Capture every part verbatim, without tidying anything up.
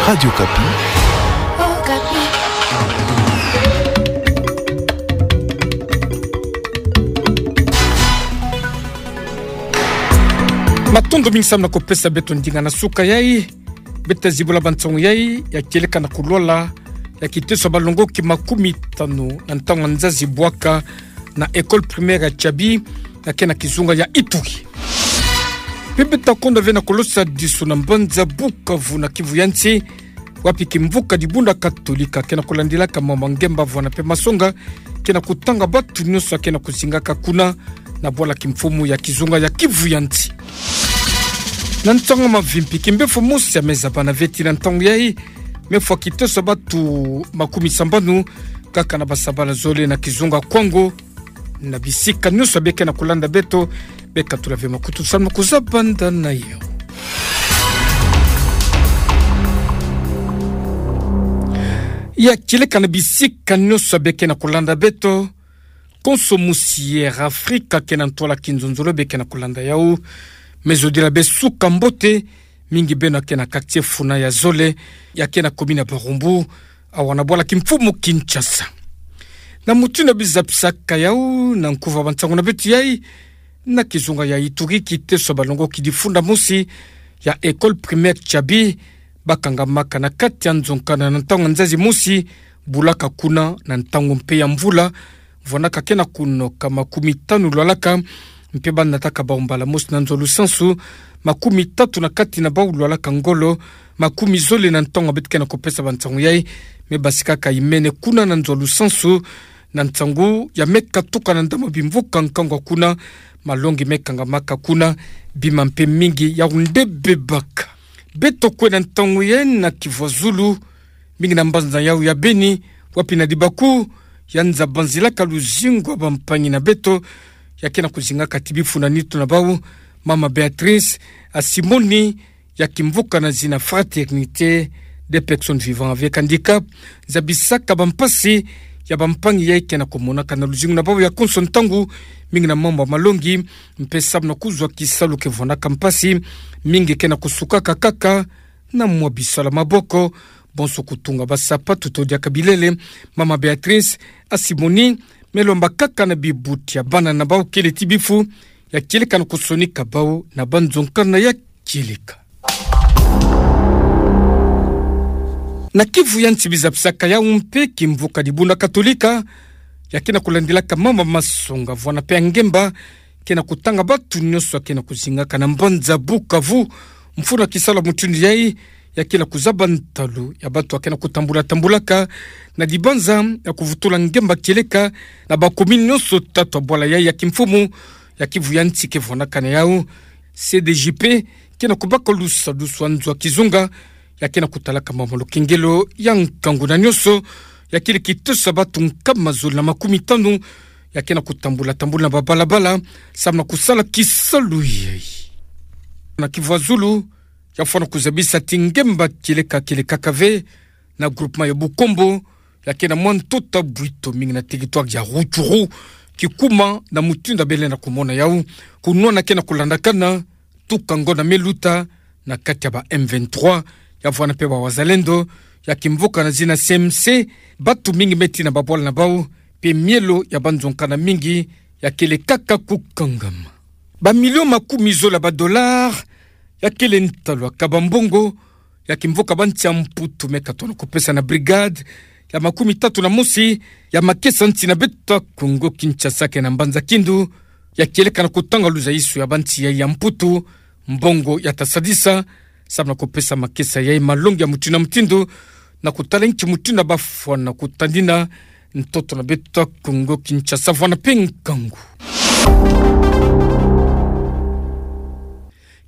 Radio Okapi. Matondo mingi samu na kupesa beto ndinga na suka yai. Beta zibula ba nsangu yai ya kieleka na kulwala ya kiteso ya balongoki makumi tanu na ntangu ya nzazi bwaka na école primaire ya Tiabi, ya ke na kizunga ya Ituri. Mpe beta konda ve na kulosadisu na mbanza Bukavu na Kivu ya Nsi, wapi kimvuka dibunda Katolika ke na kulandilaka mambu ma ngemba, vwana mpe masonga, ke na kutanga batu nyonso ya ke na kuzingaka kuna na bwala kimfumu ya kizunga ya Kivu ya Nsi. Na ntangu ya mavimpi, kimbefo mosi ya meza bana ve ti na ntangu yai, me fwa kiteso ya batu makumi sambanu kaka na basabala zole na kizunga Kwango. Na bisika nyonso bie ke na kulanda beto, beka tula ve makutu samu na kuzabanda na yo. Ya kieleka na bisika nyonso bie ke na kulanda beto, konso mosi ya Air Africa ke na ntwala kinzonzolo bie ke na kulanda yau. Me zodila bie suka mbote, mingi beno ya ke na quartier Funa ya zole, ya ke na commune ya Barumbu, awa na bwala kimfumu Kinshasa. Na mutindu bizapisaka yau na nkuva ba nsangu na beto yai, na kizunga ya Ituri, kiteso ya balongoki difunda mosi ya école primaire Tiabi, bakangamaka na kati ya nzonzolo na ntangu ya nzazi mosi bulaka kuna na ntangu mpe ya mvula, vwanaka ke na kunoka makumi tanu lwalaka, mpe banataka bau mbala mosi na nzo ya lusansu, makumi tatu na kati na bau lwalaka ngolo, makumi zole na ntangu beto ke na kupesa ba nsangu yai, me basikaka imene kuna na nzo ya lusansu, na ntangu ya me katuka na ndambu ya bimvuka nkangu kuna, malongi me kangamaka kuna, bima mpe mingi yau nde bebaka. Beto kwe na ntangu yai na Kivu ya Zulu, mingi na mbanza yau ya Beni, wapi na libaku ya nza banzilaka luzingu ya bampangi na beto, ya ke na kuzingaka ti bifu na nitu na bau, mama Béatrice Asimoni, ya kimvuka na zina Fraternité des personnes vivant avec handicap, zabisaka bampasi ya bampangi yai ke na kumonaka na luzingu na bau ya konso ntangu, mingi na mambu ya malongi, mpe samu na kuzwa kisalu ke vwanaka mpasi, mingi ke na kusukaka kaka na mwa bisalu ya maboko, bonso kutunga basapatu to diaka bilele. Mama Béatrice Asimoni, me lomba kaka na bibuti ya bana na bau kele ti bifu, ya kieleka na kusonika bau na ba nzonzolo ya kieleka. Na Kivu ya Nsi bizapisaka yau mpe kimvuka dibunda Katolika, ya ke na kulandilaka mambu ma masonga, vwana mpe ya ngemba, ke na kutanga batu nyonso ya ke na kuzingaka na mbanza Bukavu, mfunu ya kisalu ya mutindu yai, ya ke na kuzaba ntalu ya batu ya ke na kutambula tambulaka na dibanza ya kuvutula ngemba kieleka na ba commune nyonso tatu ya bwala yai ya kimfumu ya Kivu ya Nsi ke vwanaka na yau. C D J P ke na kubaka lusadusu ya nzo ya kizunga ya ke na kutalaka mambu ma lukengelo ya nkangu na nyonso, ya kele kiteso ya batu nkama zole na makumi tanu ya ke na kutambula tambula na babalabala samu na kusala kisalu yai. Na Kivu ya Zulu, ya fwana kuzabisa ti ngemba kieleka kieleka kaka ve na groupement ya Bukombo, ya ke na mwa ntuta bwito mingi na territoire ya Rutshuru, kikuma na mutindu ya bele na kumona yau, kunwana ke na kulandakana tuka ngo na me luta na kati ya ba M vingt-trois, ya vwana mpe ba wazalendo, ya kimvuka na zina C M C, batu mingi me tina babwala na bau, mpe mielo ya ba nzonzolo mingi ya kele kaka kukangama. Ba million makumi zole ya ba dollar ya kele ntalu ya kaba mbongo ya kimvuka bansi ya Mputu me katona kupesa na brigade ya makumi tatu na mosi ya makesa nsi na beto ya Kongo Kinshasa ke na mbanza Kindu, ya kieleka na kutanga luzaisu ya bansi yai ya Mputu mbongo ya ta sadisa, samu na kupesa makesa yai malongi ya mutindu na mutindu, na kutala nki mutindu ya bafwana kutadina ntoto na beto ya Kongo Kinshasa vwana mpe nkangu.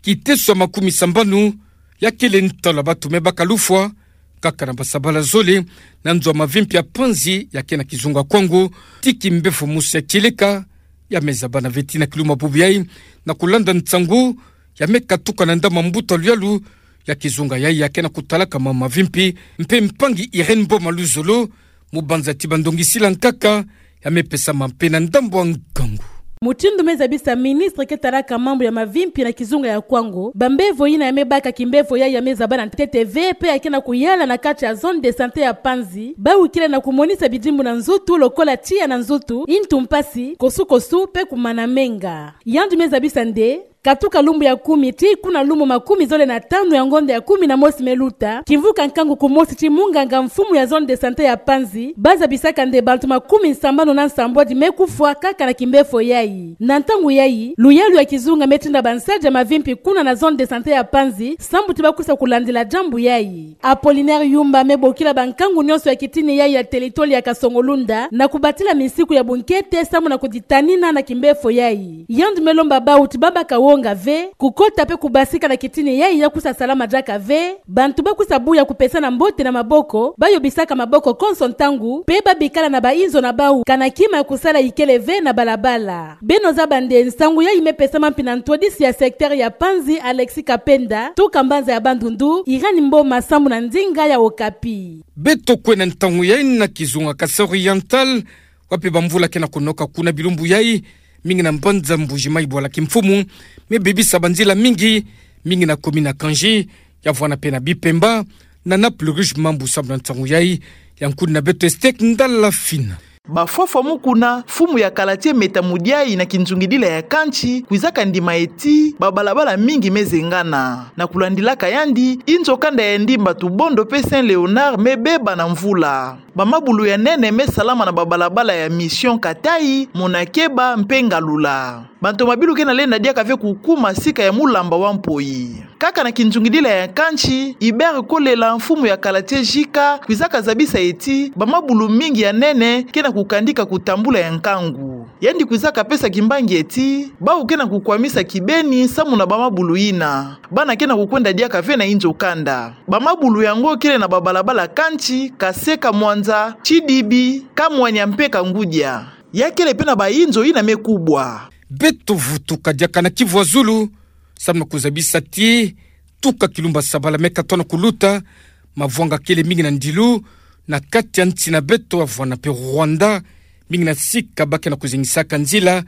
Kiteso ya makumi sambanu ya kele ntalu ya batu me baka lufwa, kaka na basabala zole, na nzo ya mavimpi ya panzi ya ke na kizunga Kwango, ti kimbefo mosi ya kieleka ya me zaba na veti na kiluma bubu yai, na kulanda nsangu ya me katuka na ndambu ya mbuta luyalu ya kizunga yai ya ke na kutalaka mambu mavimpi, mpe mpangi Irène Boma Luzolo, mubanza ti ba ndongisila nkaka, ya me pesama mpe na ndambu ya nkangu. Mutindu me zabisa ministre ke talaka mambu ya mavimpi na kizunga ya Kwango, bambevo yina ya me baka kimbevo yayi ya me zabana ntete ve, pe ya ke na kuyala na kati ya zone de santé ya Panzi, bawu kele na kumonisa bidimbu na nzutu lokola tiya na nzutu, ntu mpasi, kosukosu, pe kumana menga. Yandi me zabisa nde, katuka lumbu ya kumi tii kuna lumbu makumi zole na tanu ya ngonda ya kumi na mosi me luta, kimvuka nkangu kumosi tii munganga mfumu ya zone de santé ya Panzi, ba zabisaka nde bantu makumi nsambanu na nsambwadi me kufwa kaka na kimbevo yayi. Na ntangu yayi, luyalu ya kizunga me tinda bansadi ya mavimpi kuna na zone de santé ya Panzi, sambu ti ba kwisa kulandila diambu yayi. Apollinaire Yumba me bokila bankangu nionso ya kitini yayi ya telitoli ya Kasongo-Lunda na kubatila misiku ya bunkete sambu na kuditanina na kimbevo yayi. Yandi me lomba bawu ti ba baka wonga ve, kukota pe kubasika na kitini yayi ya kwisa salama diaka ve, bantu ba kwisa buya kupesana mbote na maboko, ba yobisaka maboko konso ntangu, pe ba bikala na bainzo na bawu, kana kima ya kusala ikele ve na balabala. Beno zaba nde nsangu yayi me pesama mpi na ntwadisi ya secteur ya Panzi Alexis Kapenda, tuka mbanza ya Bandundu, Irène Mboma sambu na ndinga ya Okapi. Beto kwe na ntangu yayi na kizunga Kasaï Oriental, wapi bamvula ke na kunoka kuna bilumbu yayi, mingi na mbanza Mbuji-Mayi bwala kimfumu, me bebisa banzila mingi, mingi na commune ya Kandji, ya vwana pe na Bipemba, na Naples Rouge Mambu sambu na ntangu yayi, ya nkuni na beto Estek Ndala Fina. Bafwafwa mu kuna, mfumu ya kala tie Meta Mudiayi na kinzungidila ya kantsi, kwizaka ndima ti, babalabala mingi me zengana. Na kulandilaka yandi, inzo kanda ya Ndimba Tubondo pe Saint Léonard me beba na mvula. Bamabulu ya nene me salama na babalabala ya Mission Katayi, Monakeba, mpe Ngalula. Bantomabilu ke na lenda diaka ve kukuma sika ya mulamba wa Mpoyi. Kaka na kinzungidila ya kantsi, Hubert Kolela, mfumu ya kala tie J K, kwizaka zabisa ti, bamabulu mingi ya nene, ke na kukandika kutambula ya nkangu. Yandi kwizaka pesa kimbangi ti, bawu ke na kukwamisa kibeni, samu na bamabulu yina. Bana ke na kukwenda diaka ve na inzo kanda. Bamabulu yango kele na babalabala kantsi, Kaseka Mwanza, Tsidibi, Kamwanya mpe Kangudia. Ya kele pe na bainzo yina me kubwa. Beto vutuka diaka na Kivu ya Zulu, samu na kuzabisa ti, tuka kilumbu ya sabala me katono kuluta, mavwanga kele mingi na ndilu, na kati ya nsi na beto ya vwana pe Rwanda, mingi na sika ba ke na kuzengisaka nzila,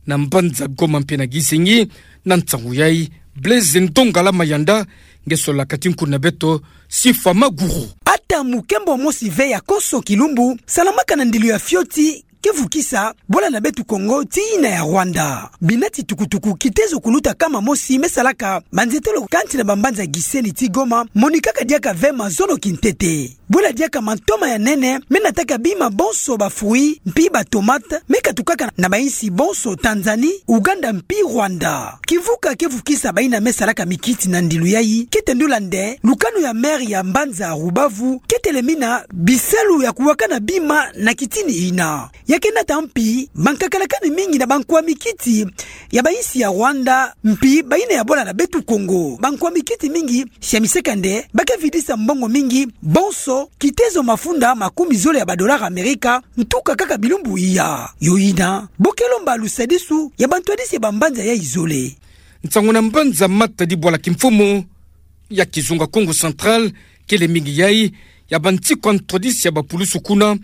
na mbanza Goma mpe na Gisenyi, na ntangu yayi, Blaise Ndongala Mayanda, nge sololaka ti nkuni na beto, Sifa Maguru. Ata mukembo mosi ve ya konso kilumbu, salamaka na ndilu ya fioti, ke vukisa, bwala na beto Kongo, tii yina ya Rwanda. Bina ti tukutuku, kitezo kuluta kama mosi, me salaka, banzetolo kati na bambanza Gisenyi tii Goma, monikaka diaka ve mazono kintete. Bwela diaka mantoma ya nene, me nataka bima bonso ba fruits, mpi ba tomates, me katukaka na bainsi bonso Tanzanie, Ouganda mpi Rwanda. Kivuka ke vukisa bayina me salaka mikiti na ndilu yayi, ke tendula nde, lukanu ya maire ya mbanza Rubavu, ke telemina bisalu ya kuwakana bima na kitini yina. Ya ke nata mpi, bankakalakani mingi na bankwa mikiti ya bainsi ya Rwanda, mpi bayina ya bwala na beto Kongo. Bankwa mikiti mingi, siamiseka nde, ba ke vidisa mbongo mingi, bonso, kitezo mafunda makumi zole ya ba dollars Amerika, ntuka kaka bilumbu iya. Yo yina, bo ke lomba lusadisu ya bantwadisi ya bambanza yayi zole. Nsangu na mbanza Matadi bwala kimfumu ya kizunga Kongo Central, kele mingi yayi, ya bantikwa ntwadisi ya bapulusu kuna,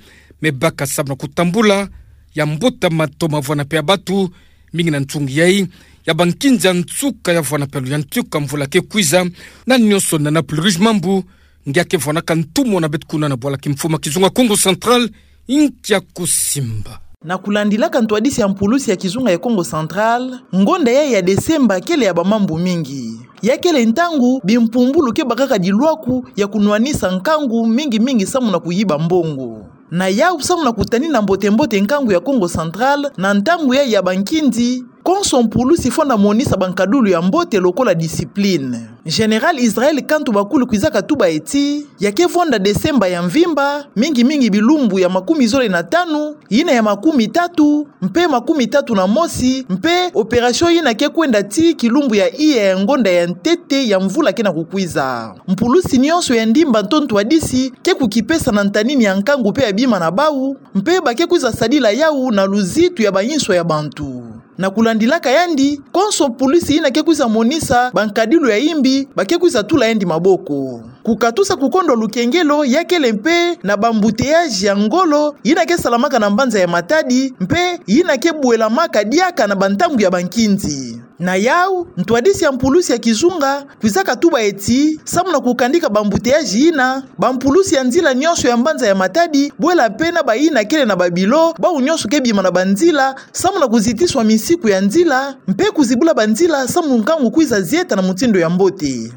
me baka samu na kutambula, ya mbota mato ma vwana pe ya batu, mingi na ntungi yayi, ya bankinza nsuka ya vwana pe luyantika mvula ke kwiza, na nionso na Naples Rouge Mambu, ngia ke vwanaka ntumwa na beto kuna na bwala kimfumu ya kizunga Kongo Central, nkia kusimba. Na kulandilaka ntwadisi ya mpulusi ya kizunga ya Kongo Central, ngonda yayi ya Desemba kele ya bamambu mingi. Ya kele ntangu, bimpumbulu ke bakaka dilwaku ya kunwanisa nkangu mingi mingi samu na kuyiba mbongo. Na yawu samu na kutanina mbote mbote nkangu ya Kongo Central, na ntangu yayi ya bankinzi, konso mpulusi fwana monisa bankadulu ya mbote lokola discipline. Général Israël Kantu Bakulu kwizaka tuba ti, ya ke vwanda Desemba ya mvimba, mingi mingi bilumbu ya makumi zole na tanu, yina ya makumi tatu, mpe makumi tatu na mosi, mpe opération yina ke kwenda tii kilumbu ya iya ya ngonda ya ntete ya mvula ke na kukwiza. Mpulusi nionso ya ndimba nto ntwadisi, ke kukipesa na ntanini ya nkangu mpe ya bima na bawu, mpe ba ke kwiza sadila yawu na luzitu ya bainso ya bantu. Na kulandilaka yandi, konso mpulusi yina ke kwiza monisa bankadilu ya imbi, ba ke kwiza tula yandi maboko. Kukatusa kukondwa lukengelo, ya kele mpe na ba embouteillages ya ngolo yina ke salamaka na mbanza ya Matadi, mpe yina ke bwelamaka diaka na bantangu ya bankindi. Na yau, ntwadisi ya mpulusi ya kizunga kwiza katuba eti, samu na kukandika ba embouteillages yina, bampulusi ya nzila nyonso ya mbanza ya Matadi, bwela mpe na bayina kele na babilo, bau nyonso ke bima na banzila, samu na kuzitiswa misiku ya nzila, mpe kuzibula banzila, samu nkangu kwiza zieta na mutindu ya mbote.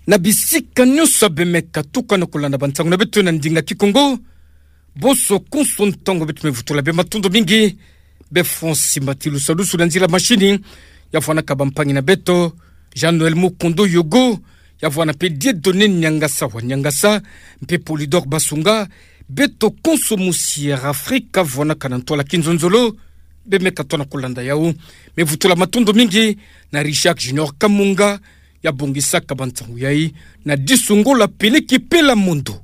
Na bisika nyonso bemeka tukana kulanda bansangu na beto na ndinga Kikongo, bonso konso ntangu beto me vutula beno matondo mingi. Beno fweti mati lusadusu na nzila mashini, ya vwandaka bampangi na beto, Jean-Noël Mukondo Yogo, ya vwanda mpe Dieudonné Niangasa wa Niangasa, mpe Polydor Basunga, beto konso musi Air Afrika vwandaka na ntwala kinzonzolo, bemeka tona kulanda yau. Me vutula matondo mingi na Richard Junior Kamunga, ya bongisaka bansangu yai, na disu ngo la peleki pela mondo.